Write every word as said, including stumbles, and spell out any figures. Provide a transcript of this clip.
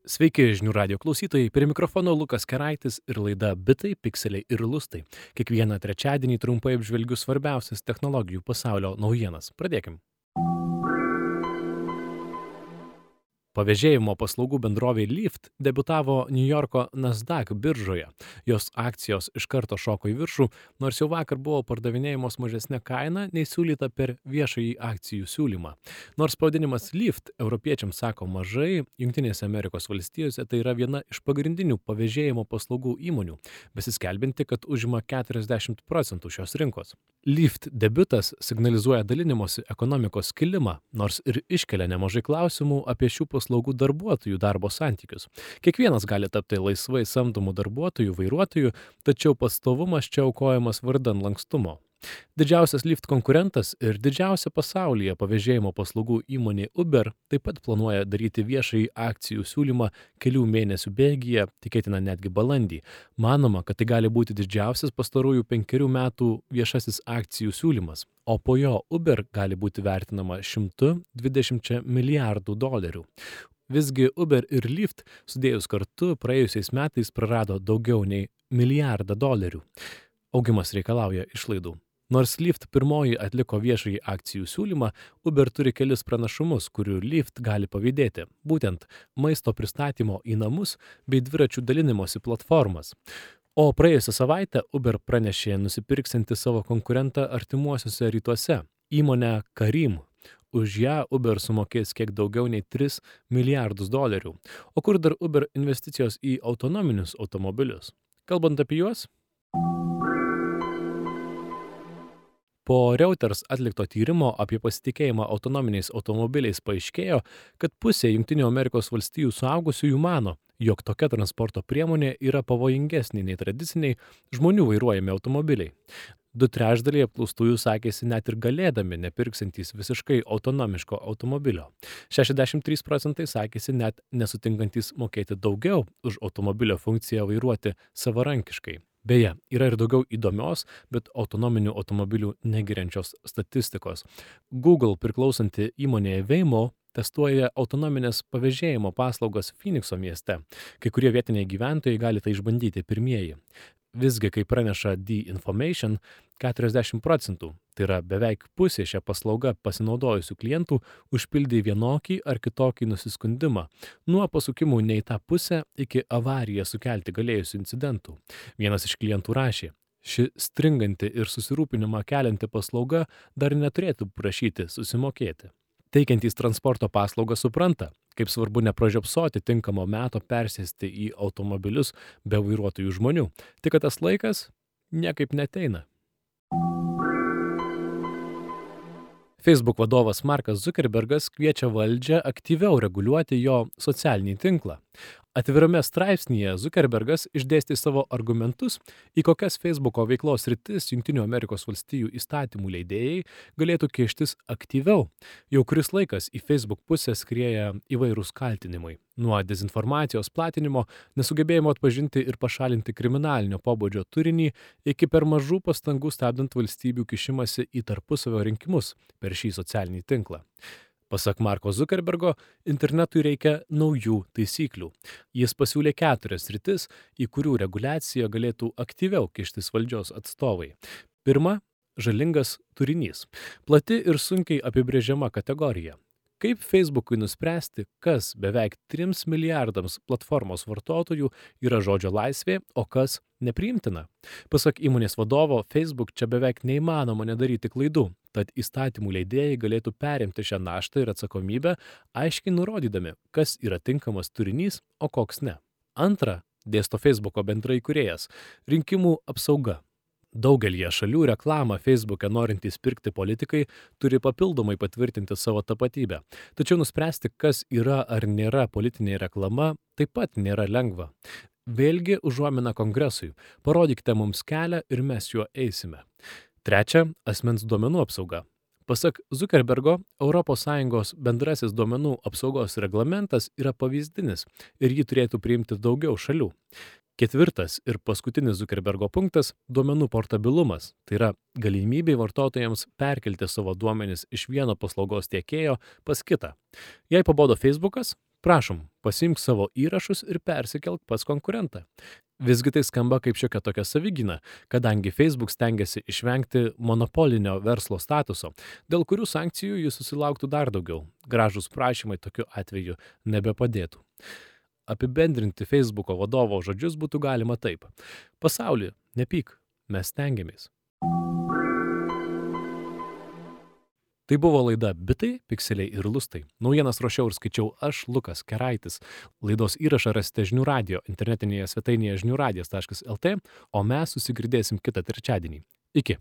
Sveiki, žinių radio klausytojai, prie mikrofono Lukas Keraitis ir laida Bitai, Pikseliai ir Lustai. Kiekvieną trečiadienį trumpai apžvelgiu svarbiausias technologijų pasaulio naujienas. Pradėkim. Pavėžėjimo paslaugų bendrovė Lyft debiutavo Niujorko Nasdaq biržoje. Jos akcijos iš karto šoko į viršų, nors jau vakar buvo pardavinėjamos mažesnė kaina nei siūlyta per viešąjį akcijų siūlymą. Nors pavadinimas Lyft europiečiams sako mažai, Jungtinėse Amerikos valstijose tai yra viena iš pagrindinių pavėžėjimo paslaugų įmonių, besiskelbinti, kad užima keturiasdešimt procentų šios rinkos. Lyft debiutas signalizuoja dalinimosi ekonomikos kilimą, nors ir iškelia nemažai klausimų apie šių paslaugų darbuotojų darbo santykius. Kiekvienas gali tapti laisvai samdomų darbuotojų, vairuotojų, tačiau pastovumas čia aukojamas vardan lankstumo. Didžiausias Lyft konkurentas ir didžiausia pasaulyje pavėžėjimo paslaugų įmonė Uber taip pat planuoja daryti viešąjį akcijų siūlymą kelių mėnesių bėgyje, tikėtina netgi balandį. Manoma, kad tai gali būti didžiausias pastarųjų penkerių metų viešasis akcijų siūlymas, o po jo Uber gali būti vertinama šimtu dvidešimčia milijardų dolerių. Visgi Uber ir Lyft sudėjus kartu praėjusiais metais prarado daugiau nei milijardą dolerių. Augimas reikalauja išlaidų. Nors Lyft pirmoji atliko viešąjį akcijų siūlymą, Uber turi kelis pranašumus, kurių Lyft gali pavydėti, būtent maisto pristatymo į namus bei dviračių dalinimosi platformas. O praėjusią savaitę Uber pranešė nusipirksianti savo konkurentą artimuosiuose rytuose, įmonę Careem. Už ją Uber sumokės kiek daugiau nei tris milijardus dolerių. O kur dar Uber investicijos į autonominius automobilius? Kalbant apie juos, po Reuters atlikto tyrimo apie pasitikėjimą autonominiais automobiliais paaiškėjo, kad pusė Jungtinių Amerikos valstijų suaugusiųjų mano, jog tokia transporto priemonė yra pavojingesnė nei tradiciniai žmonių vairuojami automobiliai. Du trečdaliai apklaustųjų sakėsi net ir galėdami nepirksintys visiškai autonomiško automobilio. šešiasdešimt trys procentai sakėsi net nesutinkantys mokėti daugiau už automobilio funkciją vairuoti savarankiškai. Beje, yra ir daugiau įdomios, bet autonominių automobilių negiriančios statistikos. Google priklausanti įmonė Waymo testuoja autonominės pavėžėjimo paslaugas Phoenixo mieste. Kai kurie vietiniai gyventojai gali tai išbandyti pirmieji. Visgi, kaip praneša The Information, keturiasdešimt procentų, tai yra beveik pusė šią paslaugą pasinaudojusių klientų, užpildė vienokį ar kitokį nusiskundimą, nuo pasukimų ne į tą pusę iki avariją sukelti galėjusių incidentų. Vienas iš klientų rašė: ši stringanti ir susirūpinimą kelianti paslauga dar neturėtų prašyti susimokėti. Teikiantys transporto paslaugą supranta, kaip svarbu nepražiopsoti tinkamo meto persėsti į automobilius be vairuotojų žmonių, tik kad tas laikas niekaip neteina. Facebook vadovas Markas Zuckerbergas kviečia valdžią aktyviau reguliuoti jo socialinį tinklą. Atvirame straipsnyje Zuckerbergas išdėstė savo argumentus, į kokias Facebooko veiklos sritis Jungtinių Amerikos valstijų įstatymų leidėjai galėtų kištis aktyviau. Jau kuris laikas į Facebook pusę skrieja įvairūs kaltinimai. Nuo dezinformacijos platinimo, nesugebėjimo atpažinti ir pašalinti kriminalinio pobūdžio turinį, iki per mažų pastangų stabdant valstybių kišimasi į tarpusavio rinkimus per šį socialinį tinklą. Pasak Marko Zuckerbergo, internetui reikia naujų taisyklių. Jis pasiūlė keturias sritis, į kurių reguliaciją galėtų aktyviau kištis valdžios atstovai. Pirma, žalingas turinys. Plati ir sunkiai apibrėžiama kategorija. Kaip Facebookui nuspręsti, kas beveik trims milijardams platformos vartotojų yra žodžio laisvė, o kas nepriimtina? Pasak įmonės vadovo, Facebook čia beveik neįmanoma nedaryti klaidų, tad įstatymų leidėjai galėtų perimti šią naštą ir atsakomybę, aiškiai nurodydami, kas yra tinkamas turinys, o koks ne. Antra, dėsto Facebooko bendraįkūrėjas, rinkimų apsauga. Daugelyje šalių reklamą Facebook'e norintys pirkti politikai turi papildomai patvirtinti savo tapatybę. Tačiau nuspręsti, kas yra ar nėra politinė reklama, taip pat nėra lengva. Vėlgi užuomina kongresui. Parodykite mums kelią ir mes juo eisime. Trečia, asmens duomenų apsauga. Pasak Zuckerbergo, Europos Sąjungos bendrasis duomenų apsaugos reglamentas yra pavyzdinis ir jį turėtų priimti daugiau šalių. Ketvirtas ir paskutinis Zuckerbergo punktas – duomenų portabilumas, tai yra galimybė vartotojams perkelti savo duomenis iš vieno paslaugos tiekėjo pas kitą. Jei pabodo Facebookas, Prašom, pasiimk savo įrašus ir persikelk pas konkurentą. Visgi tai skamba kaip šiokia tokia savigyna, kadangi Facebook stengiasi išvengti monopolinio verslo statuso, dėl kurių sankcijų jis susilauktų dar daugiau. Gražūs prašymai tokiu atveju nebepadėtų. Apibendrinti Facebooko vadovo žodžius būtų galima taip. Pasauli, nepyk, mes stengiamės. Tai buvo laida Bitai, Pikseliai ir Lustai. Naujienas ruošiau ir skaičiau aš, Lukas Keraitis. Laidos įrašą rasite Žinių radijo internetinėje svetainėje žinių radijas taškas lt, o mes susigirdėsim kitą trečiadienį. Iki.